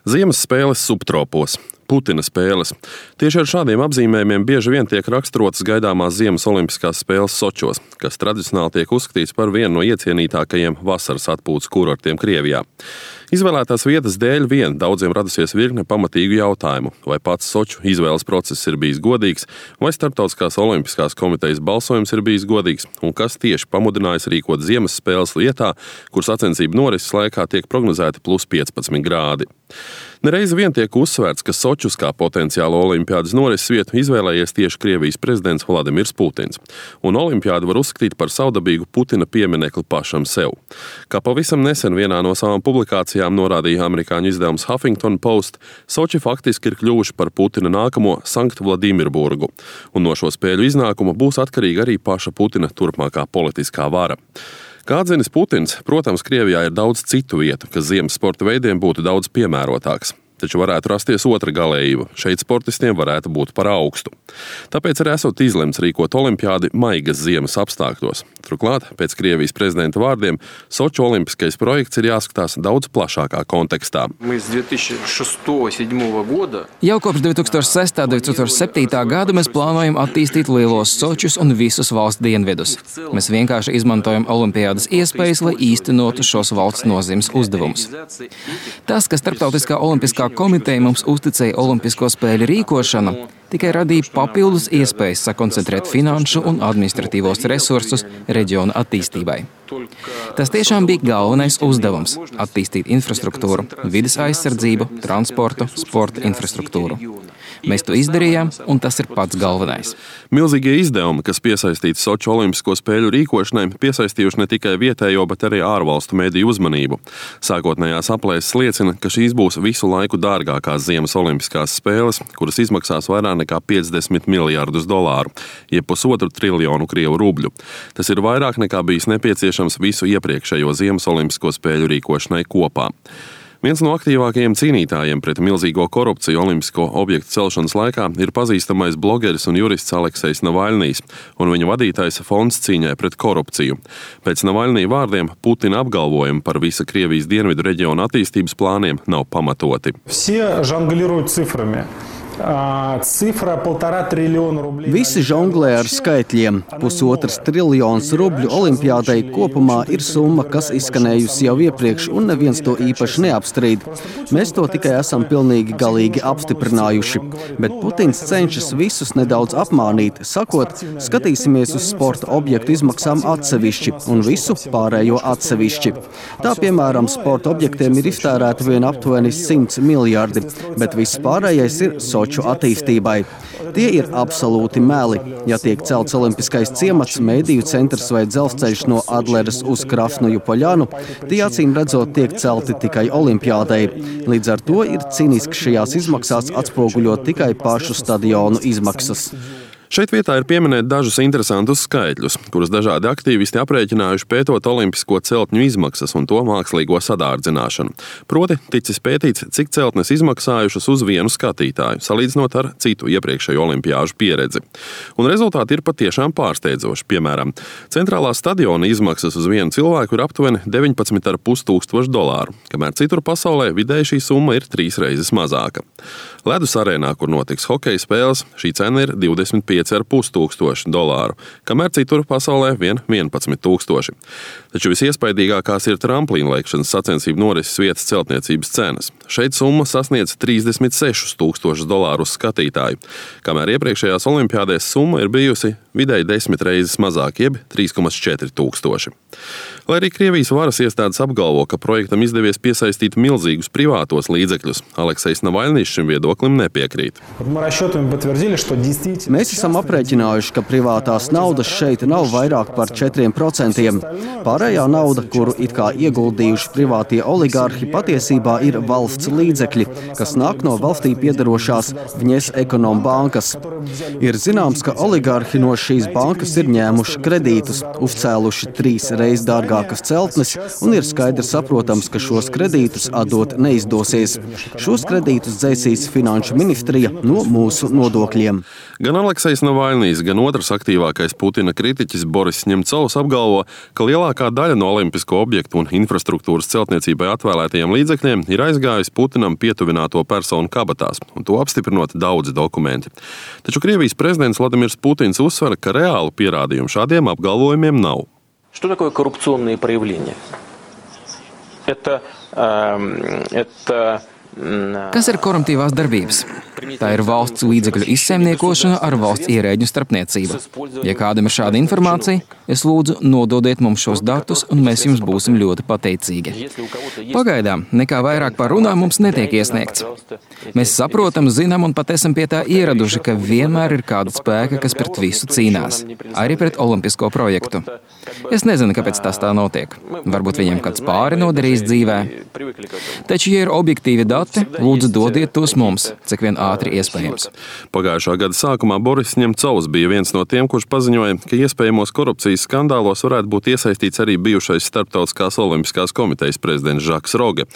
Ziemas spēles subtropos. Putina spēles. Tieši ar šādiem apzīmējumiem bieži vien tiek raksturotas gaidāmās ziemas olimpiskās spēles Sočos, kas tradicionāli tiek uzskatīts par vienu no iecienītākajiem vasaras atpūtas kurortiem Krievijā. Izvēlētās vietas dēļ vien daudziem radusies virkne pamatīgu jautājumu, vai pats Soču izvēles process ir bijis godīgs, vai Starptautiskās olimpiskās komitejas balsojums ir bijis godīgs, un kas tieši pamudinājis rīkot ziemas spēles vietā, kur sacensību norises laikā tiek prognozēti plus 15 grādi. Nereiz vien tiek uzsvērts, ka Sočus kā potenciālo olimpiādas norises vietu izvēlējies tieši Krievijas prezidents Vladimirs Putins, un olimpiādu var uzskatīt par savdabīgu Putina pieminekli pašam sev. Kā pavisam nesen vienā no savām publikācijām norādīja amerikāņu izdevums Huffington Post, Soči faktiski ir kļuvuši par Putina nākamo Sankt Vladimirburgu, un no šo spēļu iznākuma būs atkarīga arī paša Putina turpmākā politiskā vara. Kā atzinis Putins, protams, Krievijā ir daudz citu vietu, kas ziemas sporta veidiem būtu daudz piemērotāks. Taču varētu rasties otra galējība. Šeit sportistiem varētu būt par augstu. Tāpēc arī esot izlemts rīkot olimpiādi maigas ziemas apstākļos. Turklāt, pēc Krievijas prezidenta vārdiem, Soču olimpiskais projekts ir jāskatās daudz plašākā kontekstā. Jau kopš 2006. un 2007. gada mēs plānojam attīstīt lielos Sočus un visus valsts dienvidus. Mēs vienkārši izmantojam olimpiādas iespējas, lai īstenotu šos valsts nozīmes uzdevumus. Tas, ka Starptautiskā olimpiskā komiteja mums uzticēja olimpisko spēļu rīkošanu, tikai radīja papildus iespējas sakoncentrēt finanšu un administratīvos resursus reģiona attīstībai. Tas tiešām bija galvenais uzdevums – attīstīt infrastruktūru, vides aizsardzību, transportu, sporta infrastruktūru. Mēs to izdarījām, un tas ir pats galvenais. Milzīgie izdevumi, kas piesaistīti Soču olimpisko spēļu rīkošanai, piesaistījuši ne tikai vietējo, bet arī ārvalstu mediju uzmanību. Sākotnējās aplēses liecina, ka šīs būs visu laiku dārgākās ziemas olimpiskās spēles, kuras izmaksās vairāk nekā 50 miljārdus dolāru, jeb 1,5 triljonu krievu rubļu. Tas ir vairāk nekā bijis nepieciešams visu iepriekšējo ziemas olimpisko spēļu rīkošanai kopā. Viens no aktīvākajiem cīnītājiem pret milzīgo korupciju olimpisko objektu celšanas laikā ir pazīstamais blogeris un jurists Aleksejs Navaļnijs un viņa vadītais fonds cīņai pret korupciju. Pēc Navaļnija vārdiem Putina apgalvojumi par visa Krievijas dienvidu reģiona attīstības plāniem nav pamatoti. Visi žonglē ar skaitļiem. 1,5 triljons rubļu olimpiādai kopumā ir summa, kas izskanējusi jau iepriekš, un neviens to īpaši neapstrīd. Mēs to tikai esam pilnīgi galīgi apstiprinājuši. Bet Putins cenšas visus nedaudz apmānīt, sakot, skatīsimies uz sporta objektu izmaksām atsevišķi un visu pārējo atsevišķi. Tā, piemēram, sporta objektiem ir iztērēta vien aptuveni 100 miljardi, bet viss pārējais ir Soču attīstībai. Tie ir absolūti meli. Ja tiek celts olimpiskais ciemats, mediju centrs vai dzelzceļš no Adleres uz Krasnoju Poļanu, tie acīm redzot tiek celti tikai olimpiādai. Līdz ar to ir cīniski šajās izmaksās atspoguļot tikai pašu stadionu izmaksas. Šeit vietā ir pieminēt dažus interesantus skaitļus, kurus dažādi aktīvisti aprēķinājuši pētot olimpisko celtņu izmaksas un to mākslīgo sadārdzināšanu. Proti, ticis pētīts, cik celtnes izmaksājušas uz vienu skatītāju, salīdzinot ar citu iepriekšējo olimpiāžu pieredzi. Un rezultāti ir patiešām pārsteidzoši. Piemēram, centrālā stadiona izmaksas uz vienu cilvēku ir aptuveni 19,5 tūkstoši dolāru, kamēr citur pasaulē vidēji šī summa ir 3 reizes mazāka. Ledus arēnā, kur notiks hokeja spēles, šī cena ir 25,5 tūkstoši dolāru, kamēr citur pasaulē vien 11 tūkstoši. Taču visiespaidīgākās ir tramplīnlēkšanas sacensību norises vietas celtniecības cenas. Šeit summa sasniedz 36 tūkstošus dolāru uz skatītāju, kamēr iepriekšējās olimpiādēs summa ir bijusi vidēji 10 reizes mazāk, jeb 3,4 tūkstoši. Lai arī Krievijas varas iestādes apgalvo, ka projektam izdevies piesaistīt milzīgus privātos līdzekļus, Aleksejs Navaļnijs šim viedoklim nepiekrīt. Mēs esam aprēķinājuši, ka privātās naudas šeit nav vairāk par 4%. Pārējā nauda, kuru it kā ieguldījuši privātie oligārhi, patiesībā ir valsts līdzekļi, kas nāk no valstī piederošās Vņes Ekonombankas. Ir zināms, ka oligārhi no šīs bankas ir ņēmuši kredītus, uzcēluši 3 reizes dārgākas celtnes un ir skaidri saprotams, ka šos kredītus atdot neizdosies. Šos kredītus dzēsīs Finanšu ministrija no mūsu nodokļiem. Gan Aleksejs Navaļnijs, gan otrs aktīvākais Putina kritiķis Boris Ņemcovs apgalvo, ka lielākā daļa no olimpisko objektu un infrastruktūras celtniecībai atvēlētajiem līdzekļiem ir aizgājusi Putinam pietuvināto personu kabatās, un to apstiprinot daudzi dokumenti. Taču Krievijas prezidents Vladimirs Putins uzsver, ka reālu pierādījumu šādiem apgalvojumiem nav. Что такое коррупционные проявления? Kas ir koruptīvās darbības? Tā ir valsts līdzekļu izsaimniekošana ar valsts ierēģu starpniecību. Ja kādam ir šāda informācija, es lūdzu nododiet mums šos datus, un mēs jums būsim ļoti pateicīgi. Pagaidām nekā vairāk par runām mums netiek iesniegts. Mēs saprotam, zinām un pat esam pie tā ieraduši, ka vienmēr ir kāda spēka, kas pret visu cīnās, arī pret olimpisko projektu. Es nezinu, kāpēc tas tā notiek. Varbūt viņiem kāds pāri nodarījis dzīvē. Taču, ja ir objektīvi dati, lūdzu dodiet tos mums, cik vien ātri iespējams. Pagājušā gada sākumā Boris Ņemcovs bija viens no tiem, kurš paziņoja, ka iespējamos korupcijas skandālos varētu būt iesaistīts arī bijušais Starptautiskās olimpiskās komitejas prezidents Žaks Roge.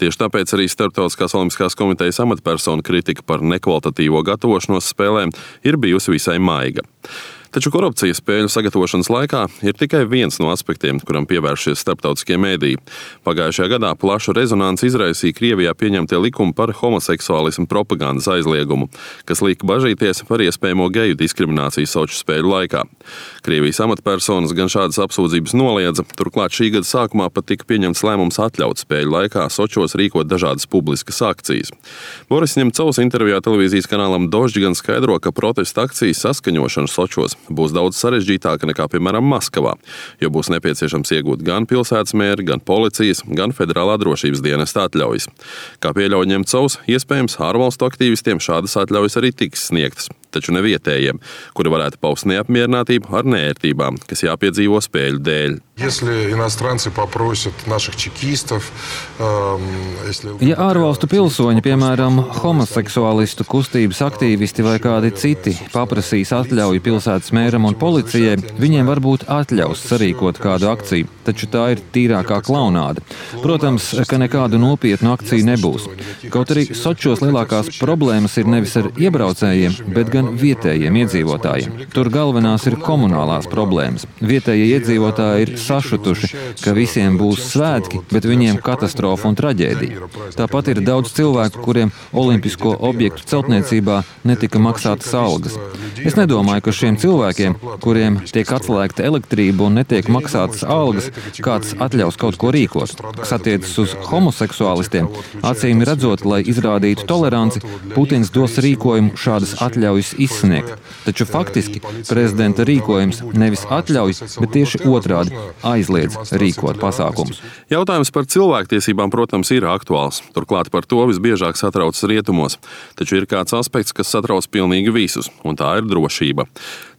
Tieši tāpēc arī Starptautiskās olimpiskās komitejas amatpersonu kritika par nekvalitatīvo gatavošanos spēlēm ir bijusi visai maiga. Taču korupcija spēļu sagatavošanas laikā ir tikai viens no aspektiem, kuram pievēršies starptautiskie mēdīji. Pagājušajā gadā plašu rezonanci izraisīja Krievijā pieņemtie likumi par homoseksuālismu propagandas aizliegumu, kas lika bažīties par iespējamo geju diskrimināciju Soču spēļu laikā. Krievijas amatpersonas gan šādas apsūdzības noliedza, turklāt šī gada sākumā pat tika pieņemts lēmums atļaut spēļu laikā Sočos rīkot dažādas publiskas akcijas. Boris Ņemcovs intervijā televīzijas kanālam Dožģi gan skaidro, ka protesta akcijas saskaņošana Sočos būs daudz sarežģītāka nekā, piemēram, Maskavā, jo būs nepieciešams iegūt gan pilsētas mēri, gan policijas, gan federālā drošības dienesta atļaujas. Kā pieļauj Ņemcovs, iespējams, ārvalstu aktīvistiem šādas atļaujas arī tiks sniegtas, taču ne vietējiem, kuri varētu paust neapmierinātību ar neērtībām, kas jāpiedzīvo spēļu dēļ. Ja ārvalstu pilsoņi, piemēram, homoseksuālistu kustības aktīvisti vai kādi citi, paprasīs atļauju pilsētas mēram un policijai, viņiem varbūt atļaus sarīkot kādu akciju, taču tā ir tīrākā klaunāda. Protams, ka nekādu nopietnu akciju nebūs. Kaut arī Sočos lielākās problēmas ir nevis ar iebraucējiem, bet gan vietējiem iedzīvotājiem. Tur galvenās ir komunālās problēmas. Vietējie iedzīvotāji ir sašutuši, ka visiem būs svētki, bet viņiem katastrofa un traģēdija. Tāpat ir daudz cilvēku, kuriem olimpisko objektu celtniecībā netika maksātas algas. Es nedomāju, ka šiem cilvēkiem, kuriem tiek atslēgta elektrība un netiek maksātas algas, kāds atļaus kaut ko rīkot. Kas attiecas uz homoseksuālistiem, acīm redzot, lai izrādītu toleranci, Putins dos rīkojumu šādas atļaujas izsniegt. Taču faktiski prezidenta rīkojums nevis atļauj, bet tieši otrādi aizliedz rīkot pasākumus. Jautājums par cilvēktiesībām, protams, ir aktuāls. Turklāt par to visbiežāk satraucas rietumos. Taču ir kāds aspekts, kas satrauc pilnīgi visus, un tā ir drošība.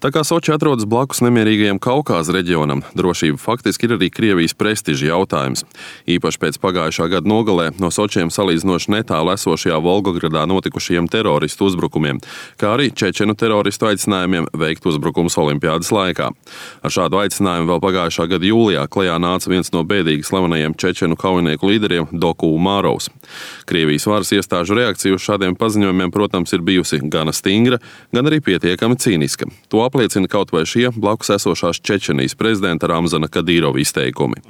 Tā kā Soči atrodas blakus nemierīgajam Kaukāza reģionam, drošība faktiski ir arī Krievijas prestiža jautājums. Īpaši pēc pagājušā gada nogalē no Sočiem salīdzinoši netālu esošajā Volgogradā notikušajiem teroristu uzbrukumiem, kā arī čečenu teroristu aicinājumiem veikt uzbrukumus olimpiādas laikā. Ar šādu aicinājumu vēl pagājušā gada jūlijā klajā nāca viens no bēdīgi slavenajiem čečenu kaujinieku līderiem Doku Umarovs. Krievijas varas iestāžu reakcija uz šādiem paziņojumiem, protams, ir bijusi gana stingra, gan arī pietiekami cīniska. To apliecina kaut vai šie blakus esošās Čečenijas prezidenta Ramzana Kadyrova izteikumi.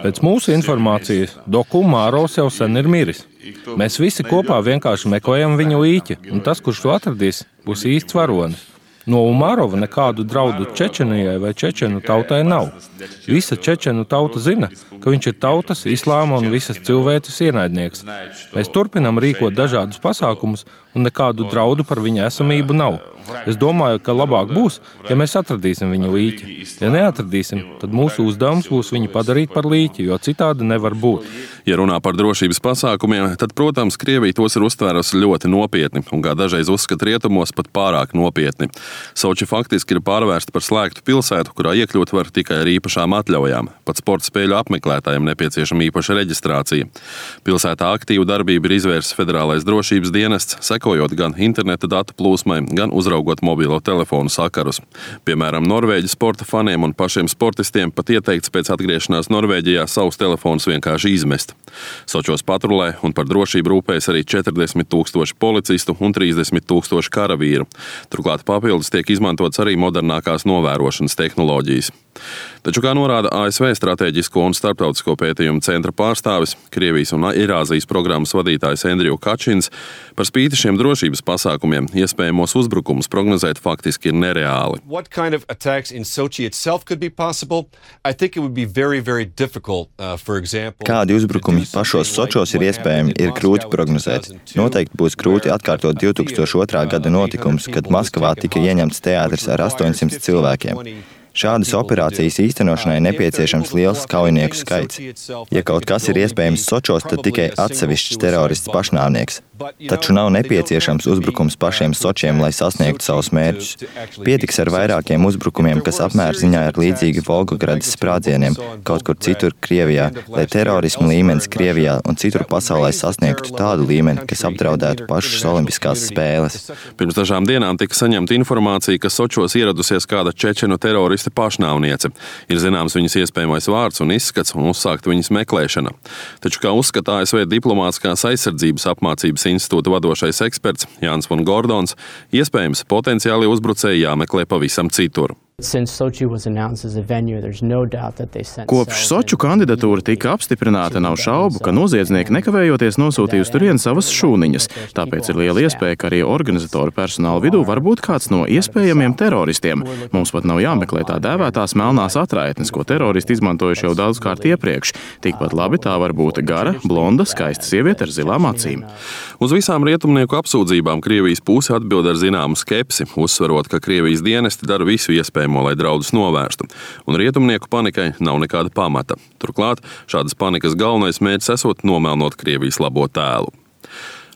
Pēc mūsu informācijas Doku Umarovs jau sen ir miris. Mēs visi kopā vienkārši meklējam viņu īķi, un tas, kurš to atradīs, būs īsts varonis. No Umarova nekādu draudu Čečenijai vai čečenu tautai nav. Visa čečenu tauta zina, ka viņš ir tautas, islāma un visas cilvēces ienaidnieks. Mēs turpinam rīkot dažādus pasākumus, un nekādu draudu par viņa esamību nav. Es domāju, ka labāk būs, ja mēs atradīsim viņu līķi. Ja neatradīsim, tad mūsu uzdevums būs viņu padarīt par līķi, jo citādi nevar būt. Ja runā par drošības pasākumiem, tad, protams, Krievija tos ir uztvērusi ļoti nopietni un, kā dažreiz uzskata rietumos, pat pārāk nopietni. Soči faktiski ir pārvērsta par slēgtu pilsētu, kurā iekļūt var tikai ar īpašām atļaujām. Pat sporta spēļu apmeklētājiem nepieciešama īpaša reģistrācija. Pilsētā aktīvu darbību ir izvērsis Federālais drošības dienests, sekojot gan interneta datu plūsmai, gan uzraugot mobilo telefonu sakarus. Piemēram, Norvēģu sporta faniem un pašiem sportistiem pat ieteikts pēc atgriešanās Norvēģijā savus telefonus vienkārši izmest. Sočos patrulē un par drošību rūpējas arī 40 000 policistu un 30 000 karavīru. Turklāt papildus tiek izmantots arī modernākās novērošanas tehnoloģijas. Taču, kā norāda ASV Stratēģisko un starptautisko pētījumu centra pārstāvis, Krievijas un Eirāzijas programmas vadītājs Andriju Kačins, par spīti šiem drošības pasākumiem iespējamos uzbrukumus prognozēt faktiski ir nereāli. Kādi uzbrukumi pašos Sočos ir iespējami, ir grūti prognozēt. Noteikti būs grūti atkārtot 2002. gada notikumus, kad Maskavā tika ieņemts teātris ar 800 cilvēkiem. Šādas operācijas īstenošanai nepieciešams liels kaujinieku skaits. Ja kaut kas ir iespējams Sočos, tad tikai atsevišķs terorists pašnāvnieks. Taču nav nepieciešams uzbrukums pašiem Sočiem, lai sasniegtu savus mērķus. Pietiks ar vairākiem uzbrukumiem, kas apmērziņā ir līdzīgi Volgogradas sprādzieniem kaut kur citur Krievijā, lai terorismu līmenis Krievijā un citur pasaulē sasniegtu tādu līmeni, kas apdraudētu pašas olimpiskās spēles. Pirms dažām dienām tika saņemta informācija, ka Sočos ieradusies kāda čečenu terorista pašnāvniece. Ir zināms viņas iespējamais vārds un izskats un uzsākt viņas meklēšana. Taču, kā uzskata ASV diplomātiskās aizsardzības apmācības institūta vadošais eksperts Jānis von Gordons, iespējams potenciāli uzbrucēji jāmeklē pavisam citur. Kopš Soču kandidatūra tika apstiprināta, nav šaubu, ka noziedznieki nekavējoties nosūtījusi turien savas šūniņas. Tāpēc ir liela iespēja, ka arī organizatoru personāla vidū var būt kāds no iespējamiem teroristiem. Mums pat nav jāmeklē tā dēvētās melnās atraitnes, ko teroristi izmantojuši jau daudzkārt iepriekš. Tikpat labi tā var būt gara, blonda, skaista sieviete ar zilām acīm. Uz visām rietumnieku apsūdzībām Krievijas puse atbild ar zināmu skepsi, uzsverot, ka Krievijas dienesti dara visu iespējamo, lai draudus novērstu, un rietumnieku panikai nav nekāda pamata. Turklāt šādas panikas galvenais mērķis esot nomelnot Krievijas labo tēlu.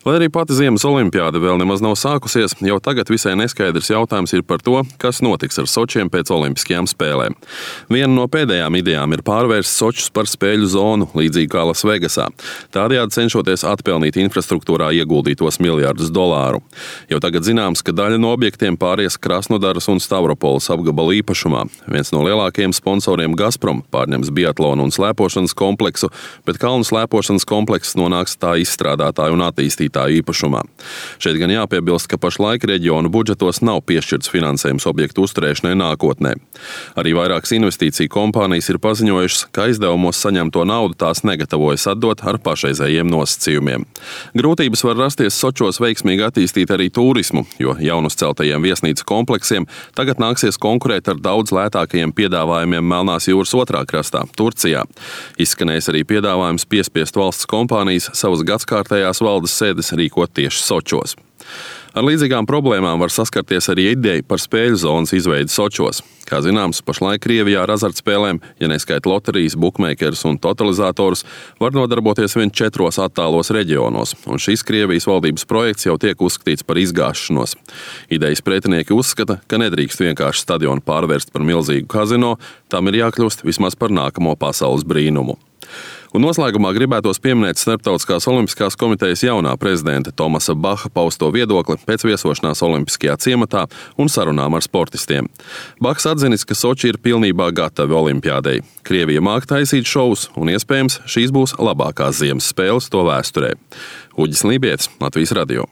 Lai arī pati Ziemas olimpiāde vēl nemaz nav sākusies, jau tagad visai neskaidrs jautājums ir par to, kas notiks ar Sočiem pēc olimpiskajām spēlēm. Viena no pēdējām idejām ir pārvērst Sočus par spēļu zonu, līdzīgi kā Lasvegasā, tādējādi cenšoties atpelnīt infrastruktūrā ieguldītos $miljardus. Jau tagad zināms, ka daļa no objektiem pāries Krasnodaras un Stavropoles apgabalu īpašumā. Viens no lielākajiem sponsoriem Gazprom pārņems biatlonu un slēpošanas kompleksu, bet kalnu slēpošanas komplekss nonāks tā izstrādātāju un attīstītāju īpašumā. Šeit gan jāpiebilst, ka pašlaik reģionu budžetos nav piešķirts finansējums objektu uzturēšanai nākotnē. Arī vairākas investīciju kompānijas ir paziņojušas, ka aizdevumos saņemto naudu tās negatavojas atdot ar pašreizējiem nosacījumiem. Grūtības var rasties Sočos veiksmīgi attīstīt arī turismu, jo jaunuzceltajiem viesnīcu kompleksiem tagad nāksies konkurēt ar daudz lētākajiem piedāvājumiem Melnās jūras otrā krastā, Turcijā. Izskanējis arī piedāvājums piespiest valsts kompānijas savas gadskārtējās valdes sēdes rīkot tieši Sočos. Ar līdzīgām problēmām var saskarties arī ideja par spēļu zonas izveidi Sočos. Kā zināms, pašlaik Krievijā ar azartspēlēm, ja neskaita loterijas, bukmeikerus un totalizatorus, var nodarboties vien 4 attālos reģionos, un šis Krievijas valdības projekts jau tiek uzskatīts par izgāšanos. Idejas pretinieki uzskata, ka nedrīkst vienkārši stadionu pārvērst par milzīgu kazino, tam ir jākļūst vismaz par nākamo pasaules brīnumu. Un noslēgumā gribētos pieminēt Starptautiskās olimpiskās komitejas jaunā prezidenta Tomasa Baha pausto viedokli pēc viesošanās olimpiskajā ciematā un sarunām ar sportistiem. Bahs atzinis, ka Soči ir pilnībā gatavi olimpiādei. Krievija māk taisīt šovus, un iespējams šīs būs labākās ziemas spēles to vēsturē. Uģis Lībietis, Latvijas radio.